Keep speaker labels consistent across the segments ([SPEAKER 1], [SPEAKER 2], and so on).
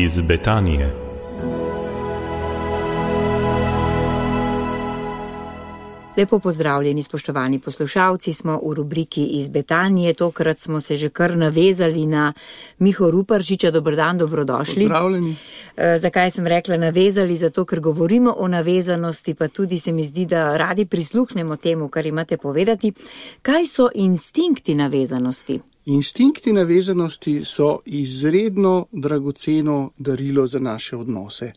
[SPEAKER 1] iz Betanije.
[SPEAKER 2] Lepo pozdravljeni, spoštovani poslušalci, smo v rubriki iz Betanije. Tokrat smo se že kar navezali na Miho Ruparčiča. Dober dan, dobrodošli.
[SPEAKER 3] Pozdravljeni.
[SPEAKER 2] Zakaj sem rekla navezali? Zato, ker govorimo o navezanosti, pa tudi se mi zdi, da radi prisluhnemo temu, kar imate povedati. Kaj so instinkti navezanosti?
[SPEAKER 3] Instinkti navezanosti so izredno dragoceno darilo za naše odnose.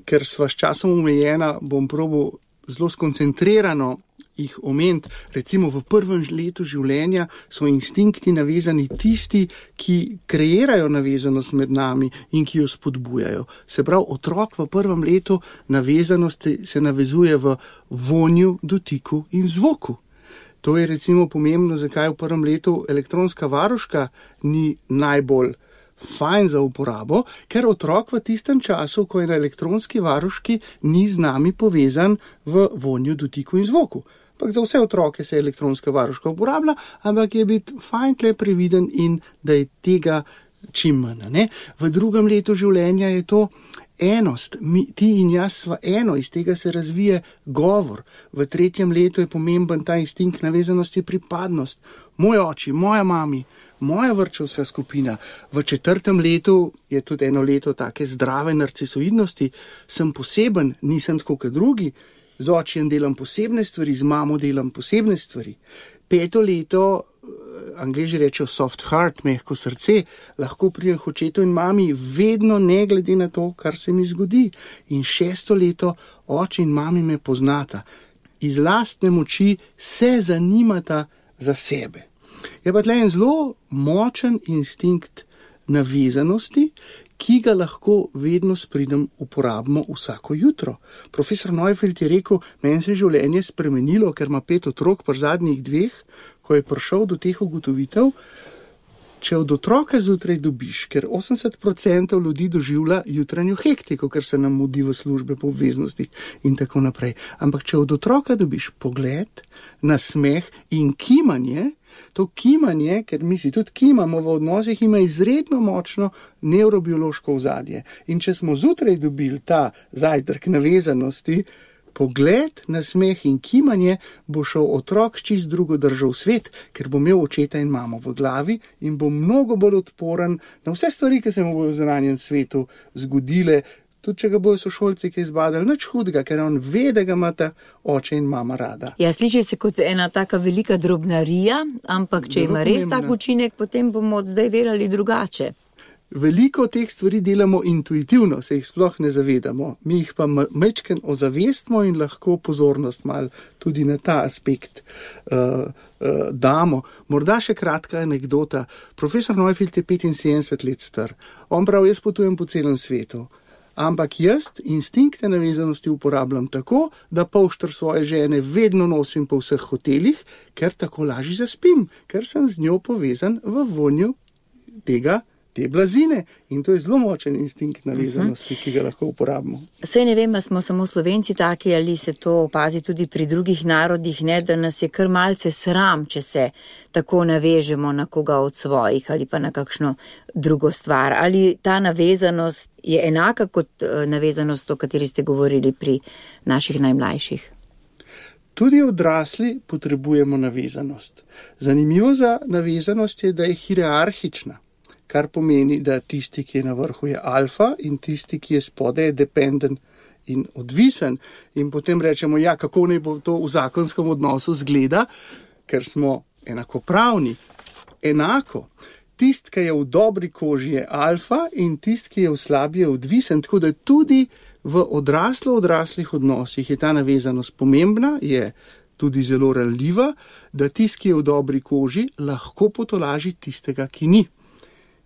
[SPEAKER 3] Ker sva s časom omejena, bom probal zelo skoncentrirano jih omeniti. Recimo v prvem letu življenja so instinkti navezani tisti, ki kreirajo navezanost med nami in ki jo spodbujajo. Se pravi, otrok v prvem letu navezanosti se navezuje v vonju, dotiku in zvoku. To je recimo pomembno, zakaj v prvem letu elektronska varuška ni najbolj fajn za uporabo, ker otrok v tistem času, ko je na elektronski varuški, ni z nami povezan v vonju, dotiku in zvoku. Ampak za vse otroke se elektronska varuška uporablja, ampak je biti fajn tle previden in da je tega čim manj. Ne? V drugem letu življenja je to enost, ti in jaz sva eno, iz tega se razvije govor. V tretjem letu je pomemben ta instinkt navezanosti, pripadnost. Moj oči, moja mami, moja vrtčevska skupina. V četrtem letu je tudi eno leto take zdrave narcisoidnosti. Sem poseben, nisem tako kot drugi. Z očijem delam posebne stvari, z mamo delam posebne stvari. Peto leto, Angleži rečejo soft heart, mehko srce, lahko pridem k očetu in mami vedno ne glede na to, kar se mi zgodi. In šesto leto, oče in mami me poznata. Iz lastne moči se zanimata za sebe. Je pa tle en zelo močen instinkt navezanosti, ki ga lahko vedno s pridom uporabimo vsako jutro. Profesor Neufeld je rekel, meni se življenje spremenilo, ker ima 5 otrok pri zadnjih 2, ko je prišel do teh ugotovitev, če od otroka zjutraj dobiš, ker 80% ljudi doživlja jutranjo hektiko, ker se nam mudi v službe po obveznostih in tako naprej. Ampak če od otroka dobiš pogled, nasmeh in kimanje, to kimanje, ker mi si tudi kimamo v odnosih, ima izredno močno nevrobiološko ozadje. In če smo zjutraj dobili ta zajtrk navezanosti, pogled, nasmeh in kimanje, bo šel otrok čist drugo držav svet, ker bo imel očeta in mamo v glavi in bo mnogo bolj odporen na vse stvari, ki se mu bojo v zunanjem svetu zgodile, tudi če ga bojo sošolci kaj izbadali, nič hudega, ker on ve, da ga imata oče in mama rada.
[SPEAKER 2] Ja, sliši se kot ena taka velika drobnarija, ampak če ima res tak učinek, potem bomo od zdaj delali drugače.
[SPEAKER 3] Veliko teh stvari delamo intuitivno, se jih sploh ne zavedamo. Mi jih pa majčken ozavestimo in lahko pozornost malo tudi na ta aspekt damo. Morda še kratka anekdota. Profesor Neufeld je 75 let star. On pravi, jaz potujem po celem svetu. Ampak jaz instinkte navezanosti uporabljam tako, da polšter svoje žene vedno nosim po vseh hotelih, ker tako lažje zaspim, ker sem z njo povezan v vonju te blazine. In to je zelo močen instinkt navezanosti, ki ga lahko uporabimo.
[SPEAKER 2] Saj ne vem, smo samo Slovenci taki, ali se to opazi tudi pri drugih narodih, ne, da nas je kar malce sram, če se tako navežemo na koga od svojih ali pa na kakšno drugo stvar. Ali ta navezanost je enaka kot navezanost, o kateri ste govorili pri naših najmlajših?
[SPEAKER 3] Tudi odrasli potrebujemo navezanost. Zanimivo za navezanost je, da je hierarhična. Kar pomeni, da tisti, ki je na vrhu, je alfa in tisti, ki je spodaj, je dependent in odvisen. In potem rečemo, ja, kako naj bo to v zakonskem odnosu zgleda, ker smo enakopravni. Enako. Tisti, ki je v dobri koži, je alfa in tisti, ki je v slabi, je odvisen. Tako da tudi v odraslih odnosih je ta navezanost pomembna, je tudi zelo ranljiva, da tisti, ki je v dobri koži, lahko potolaži tistega, ki ni.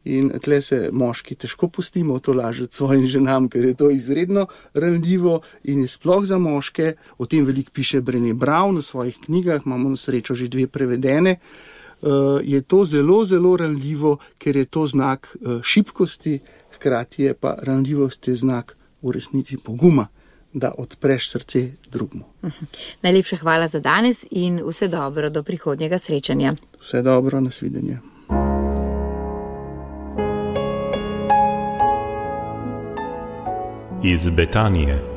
[SPEAKER 3] In tle se moški težko pustimo tolažiti svojim ženam, ker je to izredno ranljivo in je sploh za moške. O tem veliko piše Brené Brown v svojih knjigah, imamo na srečo že 2 prevedene. Je to zelo, zelo ranljivo, ker je to znak šibkosti, hkrati je pa ranljivost je znak v resnici poguma, da odpreš srce drugmu.
[SPEAKER 2] Najlepša hvala za danes in vse dobro do prihodnjega srečanja.
[SPEAKER 3] Vse dobro, nasvidenje.
[SPEAKER 1] iz Betanije.